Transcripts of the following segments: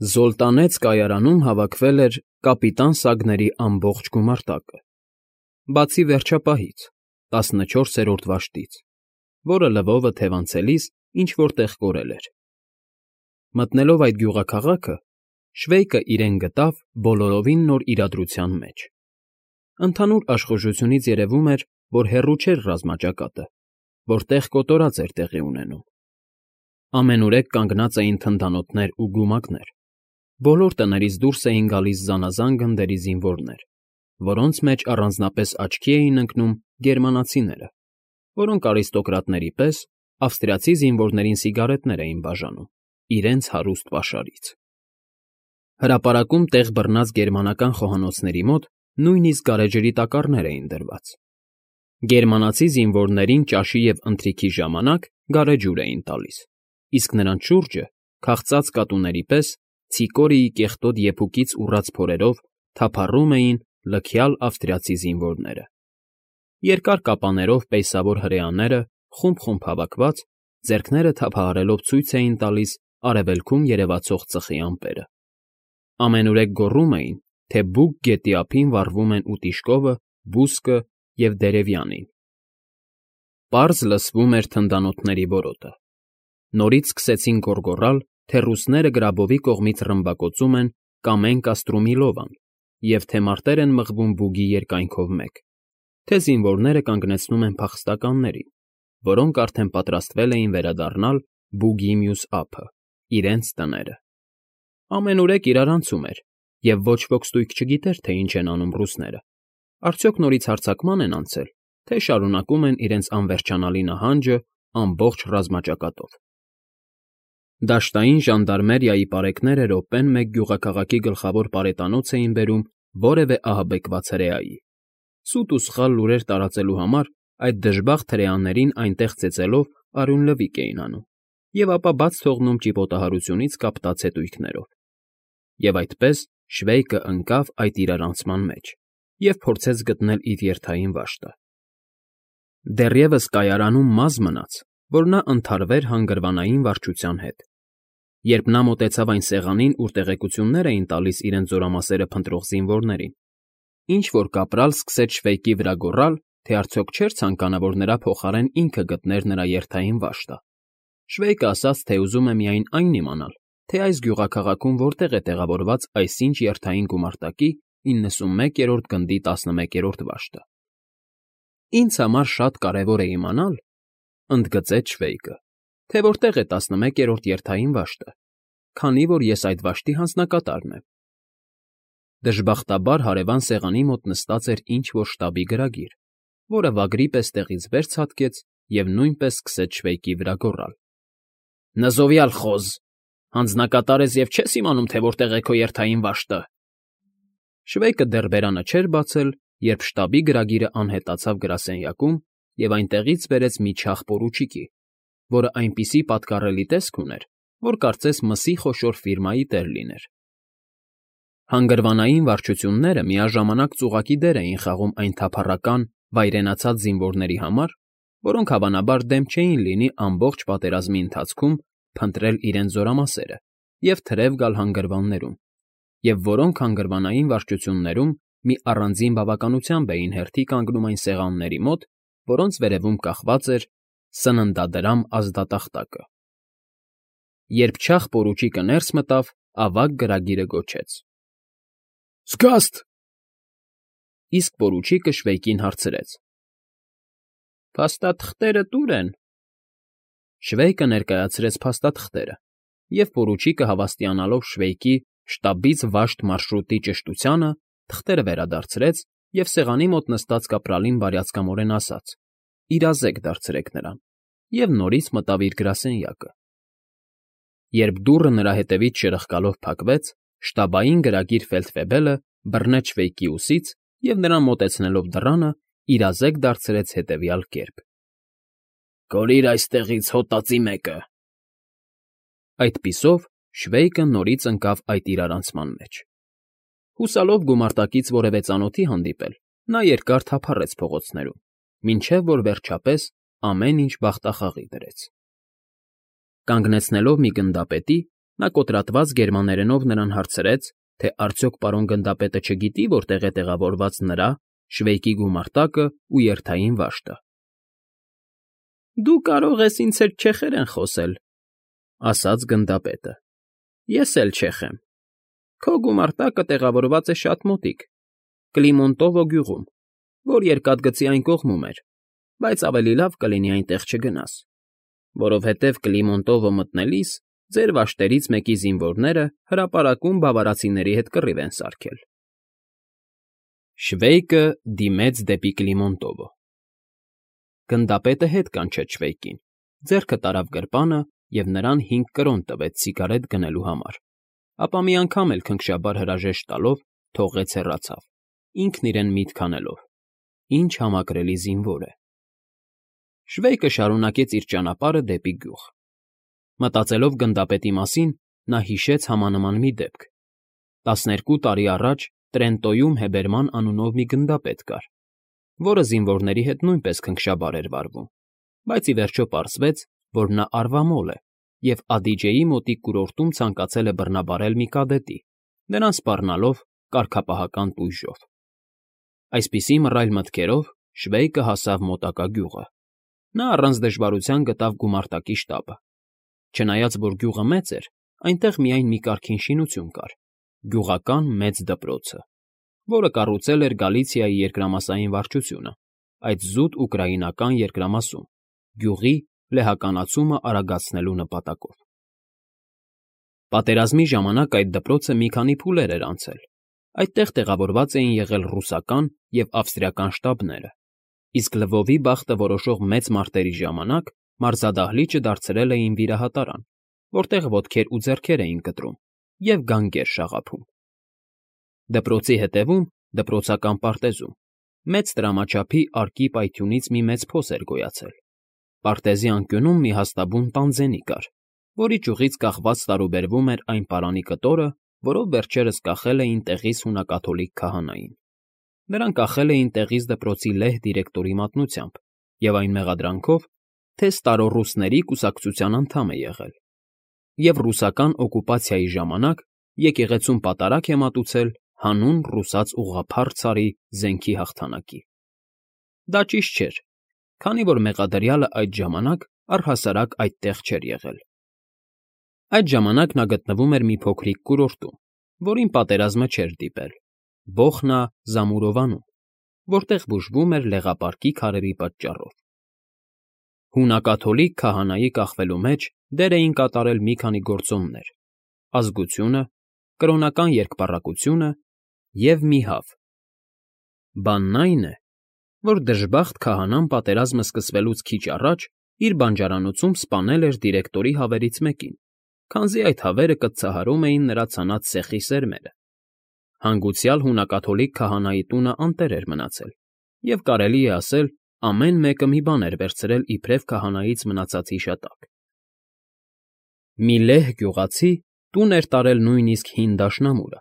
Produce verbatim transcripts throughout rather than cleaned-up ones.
Զոլտանեց կայարանում հավաքվել էր կապիտան Սագների ամբողջ գումարտակը, բացի վերջապահից, տասնչորսերորդ վաշտից, որը լվովը թևանցելիս ինչ֊որ տեղ կորել էր։ Մտնելով այդ գյուղաքաղաքը, Շվեյկը իրեն գտավ բոլորովին նոր իրադրության մեջ։ Ընդհանուր աշխուժությունից երևում էր, որ հեռու չէր ռազմաճակատը, որտեղ կոտորած էր տեղի ունենում։ Ամենուրեք կանգնած էին թնդանոթներ ու գումակներ, բոլոր տներից դուրս էին գալիս զանազան գնդերի զինվորներ, որոնց մեջ առանձնապես աչքի էին ընկնում գերմանացիները, որոնք արիստոկրատների պես ավստրիացի զինվորներին սիգարետներ էին բաժանում իրենց հարուստ պաշարից։ Հրապարակում տեղ բռնած գերմանական խոհանոցների մոտ նույնիսկ գարեջրի տակառներ էին դրված։ Գերմանացի զինվորներին ճաշի և ընթրիքի ժամանակ գարեջուր էին տալիս, իսկ նրանց շուրջը, քաղցած կատուների պես, ցիկորիի կեղտոտ եփուկից ուռած փորերով թափառում էին լքյալ ավստրիացի զինվորները։ Երկար կապաներով պեյսավոր հրեաները, խումբ֊խումբ հավաքված, ձեռքները թափահարելով ցույց էին տալիս արևելքում երևացող ծխի ամպերը։ Ամենուրեք գոռում էին, թե Բուգ գետի ափին վառվում են Ուտիշկովը, Բուսկը և Դերևյանին։ Պարզ լսվում էր թնդանոթների որոտը։ Նորից սկսեցին գոռգոռալ, թե ռուսները գրաբովի կողմից ռմբակոծում են Կամեն֊Կաստրումիլովան և թե մարտեր են մղվում Բուգի երկայնքով մեկ, թե զինվորները կանգնեցնում են փախստականներին, որոնք արդեն պատրաստվել էին վերադառնալ Բուգի մյուս ափը, իրենց տները։ Ամենուրեք իրարանցում էր, և ոչ ոք ստույգ չգիտեր, թե ինչ են անում ռուսները, արդյոք նորից հարձակման են անցել, թե շարունակում են իրենց անվերջանալի նահանջը ամբողջ ռազմաճակատով։ Դաշտային ժանդարմերիայի պարեկները րոպեն մեկ գյուղաքաղաքի գլխավոր պարետանոց էին բերում որևէ ահաբեկված հրեայի։ Սուտ ու սխալ լուրեր տարածելու համար այդ դժբախտ հրեաներին այնտեղ ծեծելով արյունլվիկ էին անում և ապա բաց թողնում ճիպոտահարությունից կապտած հետույքներով։ Եվ այդպես Շվեյկը ընկավ այդ իրարանցման մեջ և փորձեց գտնել իր երթային վաշտը։ Դեռևս կայարանում մազ մնաց, որ նա ընդհարվեր հանգրվանային վարչության հետ։ Երբ նա մոտեցավ այն սեղանին, ուր տեղեկություններ էին տալիս իրենց զորամասերը փնտրող զինվորներին, ինչ֊որ կապրալ սկսեց Շվեյկի վրա գոռալ, թե արդյոք չէր ցանկանա, որ նրա փոխարեն ինքը գտներ նրա երթային վաշտը։ Շվեյկը ասաց, թե ուզում է միայն այն իմանալ, թե այս գյուղաքաղաքում որտեղ է տեղավորված այսինչ երթային գումարտակի իննսունմեկերորդ գնդի տասնմեկերորդ վաշտը։ Ինձ համար շատ կարևոր է իմանալ, ընդգծեց Շվեյկը, թե որտեղ է տասնմեկերորդ երթային վաշտը, քանի որ ես այդ վաշտի հանձնակատարն եմ։ Դժբախտաբար հարևան սեղանի մոտ նստած էր ինչ֊որ շտաբի գրագիր, որը վագրի պես տեղից վեր ցատկեց և նույնպես սկսեց Շվեյկի վրա գոռալ. «Նզովյալ խոզ… Հանձնակատար ես և չես իմանում, թե որտեղ է քո երթային վաշտը»։ Շվեյկը դեռ բերանը չէր բացել, երբ շտաբի գրագիրը անհետացավ գրասենյակում և այնտեղից բերեց մի չաղ պորուչիկի, որը այնպիսի պատկառելի տեսք ուներ, որ կարծես մսի խոշոր ֆիրմայի տեր լիներ։ Հանգրվանային վարչությունները միաժամանակ ծուղակի դեր էին խաղում այն թափառական, վայրենացած զինվորների համար, որոնք հավանաբար դեմ չէին լինի ամբողջ պատերազմի ընթացքում փնտրել իրենց զորամասերը և թրև գալ հանգրվաններում, և որոնք հանգրվանային վարչություններում մի առանձին բավականությամբ էին հերթի կանգնում այն սեղանների մոտ, որոնց վերևում կախված էր սննդադրամ ազդատախտակը։ Երբ չաղ պորուչիկը ներս մտավ, ավագ գրագիրը գոչեց. «Զգաստ»։ Իսկ պորուչիկը Շվեյկին հարցրեց. «Փաստաթղթերը տո՞ւր են»։ Շվեյկը ներկայացրեց փաստաթղթերը, և պորուչիկը հավաստիանալով Շվեյկի շտաբից վաշտ մարշրուտի ճշտությանը, թղթերը վերադարձրեց և սեղանի մոտ նստած կապրալին բարյացակամորեն ասաց. «Իրազեկ դարձրեք նրան» և նորից մտավ իր գրասենյակը։ Երբ դուռը նրա հետևից շրխկալով փակվեց, շտաբային գրագիր ֆելդֆեբելը բռնեց Շվեյկի ուսից և նրան մոտեցնելով դռանը, իրազեկ դարձրեց հետևյալ կերպ. «Կորիր այստեղից, հոտածի մեկը»։ Այդպիսով Շվեյկը նորից ընկավ այդ իրարանցման մեջ։ Հուսալով գումարտակից որևէ ծանոթի հանդիպել, նա երկար թափառեց փողոցներում, մինչև որ վերջապես ամեն ինչ բախտախաղի դրեց։ Կանգնեցնելով մի գնդապետի, Նա կոտրատված գերմաներենով նրան հարցրեց, թե արդյոք պարոն գնդապետը չգիտի, որտեղ է տեղավորված նրա՝ Շվեյկի գումարտակն ու երթային վաշտը։ ֊ Դու կարող ես ինձ հետ չեխերեն խոսել,֊ ասաց գնդապետը,֊ ես էլ չեխ եմ։ Քո գումարտակը տեղավորված է շատ մոտիկ, Կլիմոնտովո գյուղում, որ երկաթգծի այն կողմում էր, բայց ավելի լավ կլինի այնտեղ չգնաս, որովհետև Կլիմոնտովո մտնելիս ձեր վաշտերից մեկի զինվորները հրապարակում բավարացիների հետ կռիվ են սարքել։ Շվեյկը դիմեց դեպի Կլիմոնտովո։ Գնդապետը հետ կանչեց Շվեյկին, ձեռքը տարավ գրպանը և նրան հինգ կրոն տվեց սիգարետ գնելու համար, ապա մի անգամ էլ քնքշաբար հրաժեշտ տալով թողեց հեռացավ, ինքն իրեն միտք անելով. ինչ համակրելի զինվոր է։ Շվեյկը շարունակեց իր ճանապարհը դեպի գյուղ։ Մտածելով գնդապետի մասին, նա հիշեց համանման մի դեպք. տասներկու տարի առաջ Տրենտոյում Հեբերման անունով մի գնդապետ կար, որը զինվորների հետ նույնպես քնքշաբար էր վարվում, բայց ի վերջո պարզվեց, որ նա արվամոլ է և Ադիջեի մոտիկ կուրորտում ցանկացել է բռնաբարել մի կադետի, նրան սպառնալով կարգապահական տույժով։ Այսպիսի մռայլ մտքերով Շվեյկը հասավ մոտակա գյուղը։ Նա առանց դժվարության գտավ գումարտակի շտաբը։ Չնայած որ գյուղը մեծ էր, այնտեղ միայն մի կարգին շինություն կար՝ գյուղական մեծ դպրոցը, որը կառուցել էր Գալիցիայի երկրամասային վարչությունը, այդ զուտ ուկրաինական երկրամասում, գյուղի լեհականացումը արագացնելու նպատակով։ Պատերազմի ժամանակ այդ դպրոցը մի քանի փուլեր էր անցել, այդտեղ տեղավորված էին եղել ռուսական և ավստրիական շտաբները, իսկ Լվովի բախտը որոշող մեծ մարտերի ժամանակ մարզադահլիճը դարձրել էին վիրահատարան, որտեղ ոտքեր ու ձեռքեր էին կտրում և գանգեր շաղափում։ Դպրոցի հետևում, դպրոցական պարտեզում, մեծ տրամաչափիարկի պայթյունից մի մեծ փոս էր գոյացել։ Պարտեզի անկյունում մի հաստաբուն տանձենի կար, որի ճյուղից կախված տարուբերվում էր այն պարանի կտորը, որով վերջերս կախել էին տեղից հունակաթոլիկ քահանային։ Նրան կախել էին տեղից դպրոցի լեհ դիրեկտորի մատնությամբ և այն մեղադրանքով, թե ստարոռուսների կուսակցության անդամ է եղել, և ռուսական օկուպացիայի ժամանակ եկեղեցում պատարագ է մատուցել հանուն ռուսաց ուղղափառ ցարի զենքի հաղթանակի։ Դա ճիշտ չէր, քանի որ մեղադրյալը այդ ժամանակ առհասարակ այդտեղ չէր եղել։ Այդ ժամանակ նա գտնվում էր մի փոքրիկ կուրորտում, որին պատերազմը չէր դիպել՝ Բոխնա Զամուրովանում, որտեղ բուժվում էր լեղապարկի քարերի պատճառով։ Հունակաթոլիկ քահանայի կախվելու մեջ դեր էին կատարել մի քանի գործոններ՝ ազգությունը, կրոնական երկպառակտությունը և մի հավ։ Բանն այն է, որ դժբախտ քահանան պատերազմը սկսվելուց քիչ առաջ իր բանջարանոցում սպանել էր դիրեկտորի հավերից մեկին, քանզի այդ հավերը կծծահարում էին նրա ցանած սեխի սերմերը։ Հանգուցյալ հունակաթոլիկ քահանայի տունը անտեր էր մնացել, և կարելի է ասել, ամեն մեկը մի բան էր վերցրել իբրև քահանայից մնացած հիշատակ։ Մի լեհ գյուղացի տուն էր տարել նույնիսկ հին դաշնամուրը,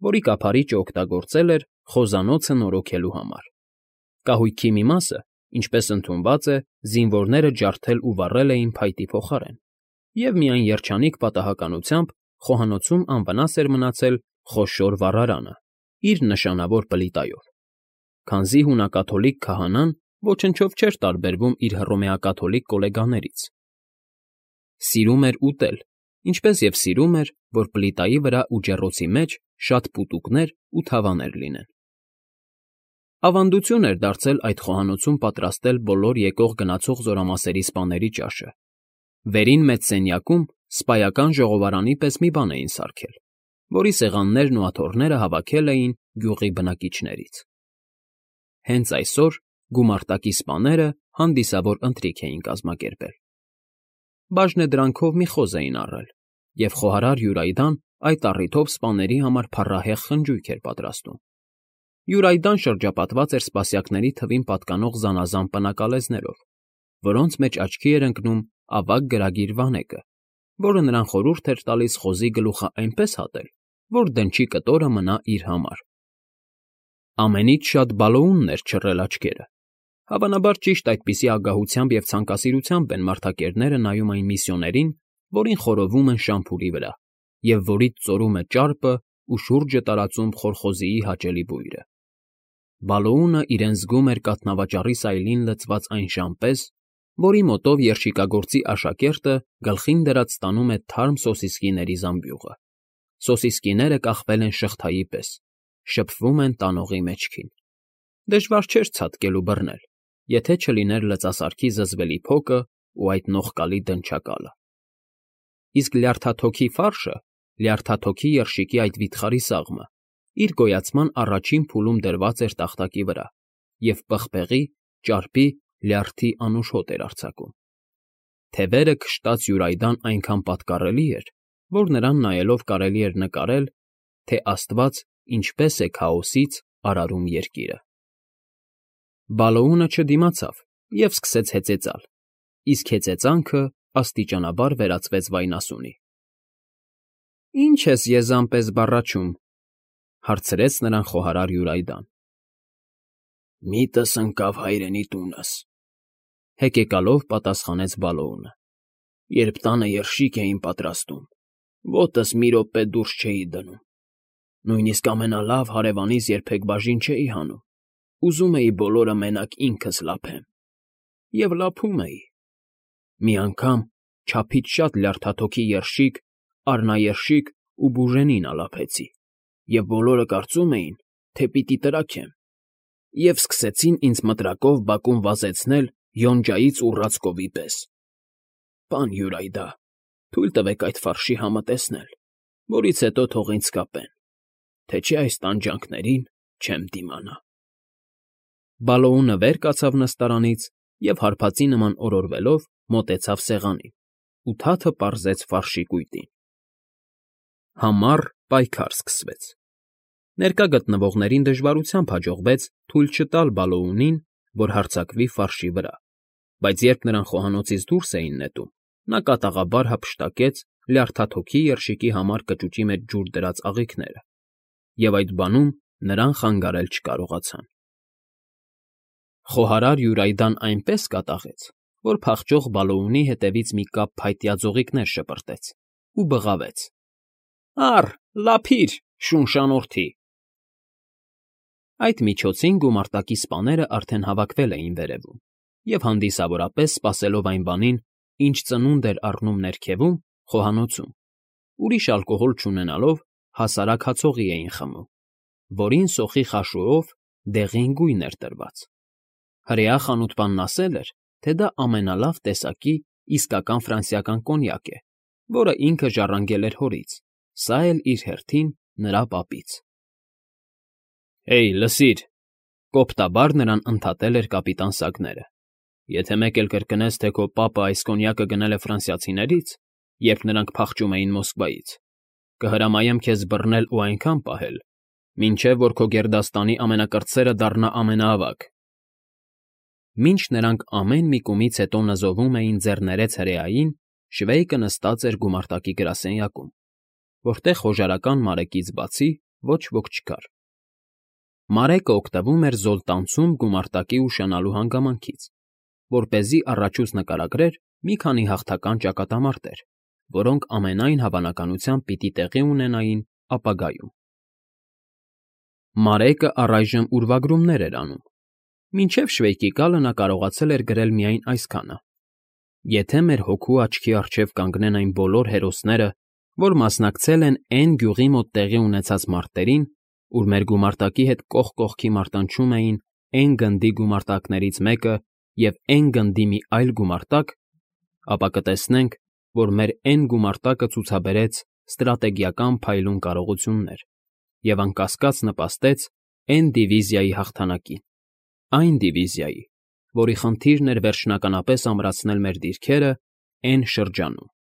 որի կափարիչը օգտագործել էր խոզանոցը նորոգելու համար։ Կահույքի մի մասը, ինչպես ընդունված է, զինվորները ջարդել ու վառել էին փայտի փոխարեն, և միայն երջանիկ պատահականությամբ խոհանոցում անվնաս էր մնացել խոշոր վառարանը՝ իր նշանավոր պլիտայով, քանզի հունակաթոլիկ քահանան ոչնչով չէր տարբերվում իր հռոմեակաթոլիկ գոլեգաներից։ Սիրում էր ուտել, ինչպես և սիրում էր, որ պլիտայի վրա ու ջեռոցի մեջ շատ պուտուկներ ու թավաներ լինեն։ Ավանդություն էր դարձել այդ խոհանոցում պատրաստել բոլոր եկող֊գնացող զորամասերի սպաների ճաշը։ Վերին մեծ սենյակում սպայական ժողովարանի պես մի բան էին սարքել, որի սեղաններն ու աթոռները հավաքել էին գյուղի բնակիչներից։ Հենց այսօր գումարտակի սպաները հանդիսավոր ընթրիք էին կազմակերպել։ Բաժնեդրանքով մի խոզ էին առել, և խոհարար Յուրայդան այդ առիթով սպաների համար փառահեղ խնջույք էր պատրաստում։ Յուրայդան շրջապատված էր սպասյակների թվին պատկանող զանազան պնակալեզներով, որոնց մեջ աչքի էր ընկնում ավագ գրագիր Վանեկը, որը նրան խորհուրդ էր տալիս խոզի գլուխը այնպես հատել, որ դնչի կտորը մնա իր համար։ Ամենից շատ Բալոունն էր չռել աչքերը։ Հավանաբար ճիշտ այդպիսի ագահությամբ և ցանկասիրությամբ են մարդակերները նայում այն միսիոներին, որին խորովում են շամփուրի վրա, և որից ծորում է ճարպը ու շուրջը տարածում խորխոզիի հաճելի բույրը։ Բալոունը իրեն զգում էր կաթնավաճառի սայլին լցված այն ժամ պես, որի մոտով երշիկագործի աշակերտը գլխին դրած տանում է թարմ սոսիսկիների զամբյուղը։ Սոսիսկիները կախվել են շղթայի պես, շփվում են տանողի մեջքին։ Դժվար չէր ցատկել ու բռնել, եթե չլիներ լծասարքի զզվելի փոկը ու այդ նողկալի դնչակալը։ Իսկ լյարդաթոքի ֆարշը, լյարդաթոքի երշիկի այդ վիթխարի սաղմը, իր գոյացման առաջին փուլում դրված էր տախտակի վրա և պղպեղի, ճարպի, լյարդի անուշ հոտ էր արձակում։ Թևերը քշտած Յուրայդան այնքան պատկառելի էր, որ նրան նայելով կարելի էր նկարել, թե աստված ինչպես է քաոսից արարում երկիրը։ Բալոունը չդիմացավ և սկսեց հեծեծալ, իսկ հեծեծանքը աստիճանաբար վերածվեց վայնասունի։ ֊ Ի՞նչ ես եզան պես բառաչում,֊ հարցրեց նրան խոհարար Յուրայդան։ ֊ Միտս ընկավ հայրենի տունս,֊ հեկեկալով պատասխանեց Բալոունը։ Երբ տանը երշիկ էին պատրաստում, ոտս մի րոպե դուրս չէի դնում, նույնիսկ ամենալավ հարևանիս երբեք բաժին չէի հանում, ուզում էի բոլորը մենակ ինքս լափեմ։ Եվ լափում էի։ Մի անգամ չափից շատ լյարդաթոքի երշիկ, առնաերշիկ ու բուժենին ալափեցի, և բոլորը կարծում էին, թե պիտի տրաքեմ, և սկսեցին ինձ մտրակով բակում վազեցնել յոնջայից ուռած կովի պես։ Պան Յուրայդա, թույլ տվեք այդ ֆարշի համը տեսնել, որից հետո թող ինձ կապեն, թե չէ այս տանջանքներին չեմ դիմանա։ Բալոունը վեր կացավ նստարանից և հարբածի նման օրորվելով մոտեցավ սեղանին ու թաթը պարզեց ֆարշի կույտին։ Համառ պայքար սկսվեց։ Ներկա գտնվողներին դժվարությամբ հաջողվեց թույլ չտալ Բալոունին, որ հարձակվի ֆարշի վրա, բայց երբ նրան խոհանոցից դուրս էին նետում, նա կատաղաբար հափշտակեց լյարդաթոքի երշիկի համար կճուճի մեջ ջուր դրած աղիքները, և այդ բանում նրան խանգարել չկարողացան։ Խոհարար Յուրայդան այնպես կատաղեց, որ փախչող Բալոունի հետևից մի կապ փայտյա ձողիկներ շպրտեց ու բղավեց. «Առ, լափիր, շուն շանորդի»։ Այդ միջոցին գումարտակի սպաները արդեն հավաքվել էին վերևում և հանդիսավորապես սպասելով այն բանին, ինչ ծնունդ էր առնում ներքևում, խոհանոցում, ուրիշ ալկոհոլ չունենալով, հասարակ հացողի էին խմում, որին սոխի խաշուով դեղին գույն էր տրված։ Հրեա խանութպանն ասել էր, թե դա ամենալավ տեսակի իսկական ֆրանսիական կոնյակ է, որը ինքը ժառանգել էր հորից, սա էլ իր հերթին նրա պապից։ ֊ Հեյ, լսիր,֊ կոպտաբար նրան ընդհատել էր կապիտան Սագները,֊ եթե մեկ էլ կրկնես, թե քո պապը այս կոնյակը գնել է ֆրանսիացիներից, երբ նրանք փախչում էին Մոսկվայից, կհրամայեմ քեզ բռնել ու այնքան պահել, մինչև որ քո գերդաստանի ամենակրտսերը դառնա ամենաավագ։ Մինչ նրանք ամեն մի կումից հետո նզովում էին ձեռներեց հրեային, շվեյկը նստած էր գումարտակի գրասենյակում, որտեղ խոժարական Մարեկից բացի ոչ ոք չկար։ Մարեկը օգտվում էր զոլտանցում գումարտակի ուշանալու հանգամանքից, որպեսզի առաջուց նկարագրեր մի քանի հաղթական ճակատամարտեր, որոնք ամենայն հավանականությամբ պիտի տեղի ունենային ապագայում։ Մարեկը առայժմ ուրվագրումներ էր անում։ Մինչև շվեյկի գալը նա կարողացել էր գրել միայն այսքանը. «Եթե մեր հոգու աչքի առջև կանգնեն այն բոլոր հերոսները, որ մասնակցել են Էն գյուղի մոտ տեղի ունեցած մարտերին, ուր մեր գումարտակի հետ կողք կողքի մարտանջում էին Էն գնդի գումարտակներից մեկը և Էն գնդի մի այլ գումարտակ, ապա կտեսնենք, որ մեր Էն գումարտակը ցուցաբերեց ստրատեգիական փայլուն կարողություններ և անկասկած նպաստեց Էն դիվիզիայի հաղթանակին, այն դիվիզիայի, որի խնդիրն էր վերջնականապես ամրացնել մեր դիրքերը Էն շրջանում»։